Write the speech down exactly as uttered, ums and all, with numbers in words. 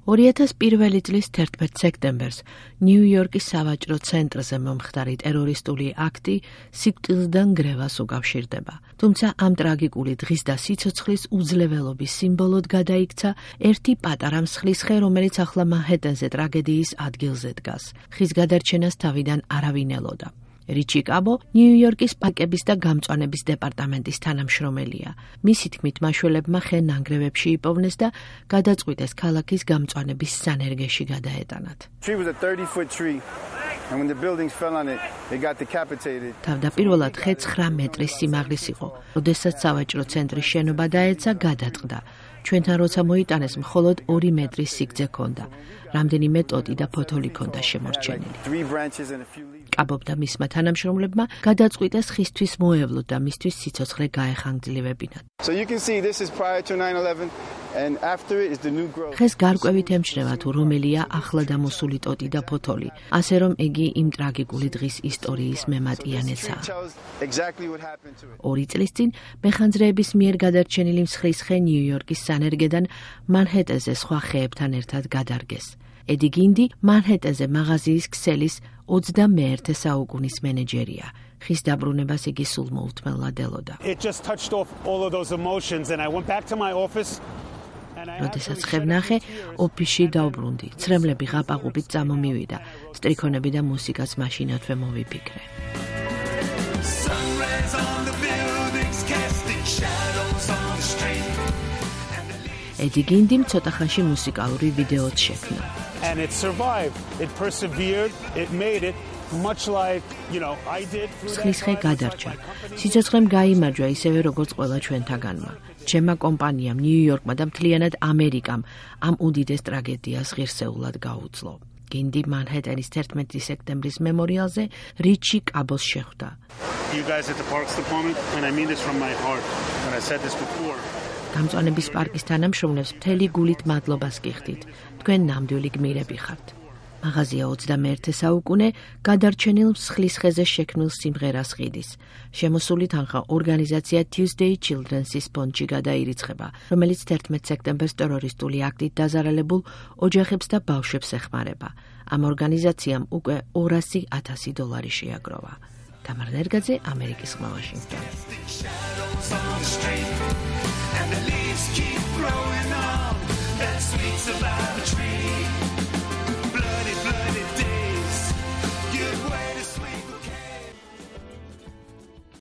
ორი ათას პირველი წლის თერთმეტ სექტემბერს ნიუ-იორკის სავაჭრო ცენტრზე მომხდარი ტერორისტული აქტი სიკვდილიდან გრევას უკავშირდება. თუმცა ამ ტრაგიკული დღის და სიცოცხლის უძლეველობის სიმბოლოდ გადაიქცა ერთი პატარა მსხლის ხე, რომელიც ახლა მანჰეტენზე ტრაგედიის ადგილზე დგას. ხის გადარჩენას თავიდან არავინ ელოდა. რიჩი კაბო ნიუ-იორკის პარკების და გამწვანების დეპარტამენტის თანამშრომელია. მისი თქმით, მაშველებმა ხე ნანგრევებში იპოვნეს და გადაწყვიტეს ქალაქის გამწვანების სანერგეში გადაეტანათ. თავდაპირველად ხე ცხრა მეტრის სიმაღლის იყო, როდესაც სავაჭრო ცენტრის შენობა დაეცა, გადაწყდა. ჩვენთან როცა მოიტანეს, მხოლოდ ორი მეტრის სიგრძე ჰქონდა. რამდენიმე ტოტი და ფოთოლი ჰქონდა შემორჩენილი. კაბომ და მისმა თანამშრომლებმა გადაწყვიტეს ხისთვის მოევლოთ და მისთვის სიცოცხლე გაეხანგრძლივებინათ. ხეს გარკვევით ემჩნევა თუ რომელია ახლა დამოსული ტოტი და ფოთოლი, ასე რომ იგი იმ ტრაგიკული დღის ისტორიის მემატიანეცაა. ორი წლის წინ მეხანძრეების მიერ გადარჩენილი მსხლის ხე ნიუ-იორკის სანერგედან მანჰეტენზე სხვა ხეებთან ერთად გადარგეს. ედი გინდი მანჰეტენზე მაღაზიის ქსელის ოცდამეერთე საუკუნის მენეჯერია. ხის დაბრუნებას იგი სულ მოუთმელად ელოდა. როდესაც ხე ვნახე, ოფისში დავბრუნდი. ცრემლები ღაპაღობით წამომივიდა. სტრიქონები და მუსიკაც მაშინათვე მოვიფიქრე. ედი გინდიმ ცოტა ხანში მუსიკალური ვიდეოც შექმნა. And it survived. It persevered. It made it much like, you know, I did. მსხლის ხე გადარჩა. სიცოცხლემ გაიმარჯვა ისევე როგორც ყველა ჩვენთაგანმა. ჩემმა კომპანიამ, ნიუ-იორკმა და მთლიანად ამერიკამ ამ უდიდეს ტრაგედიას ღირსეულად გაუძლო. გინდი მანჰეტენის თერთმეტი სექტემბრის მემორიალზე რიჩი კაბოს შეხვდა. You guys at the Parks Department, and I mean this from my heart, when I said this before. გამწვანების პარკის თანამშრომლებს მთელი გულით მადლობას გიხდით. თქვენ ნამდვილი გმირები ხართ. მაღაზია ოცდამეერთე საუკუნე გადარჩენილ მსხლის ხეზე შექმნილ სიმღერას ყიდის. შემოსული თანხა ორგანიზაცია Tuesday Children's ფონდში გადაირიცხება, რომელიც თერთმეტ სექტემბერს ტერორისტული აქტით დაზარალებულ ოჯახებს და ბავშვებს ეხმარება. ამ ორგანიზაციამ უკვე ორასი ათასი დოლარი შეაგროვა. თამარ ნერგაძე, ამერიკის ხმა, ვაშინგტონი. And the leaves keep growing on. That's sweet about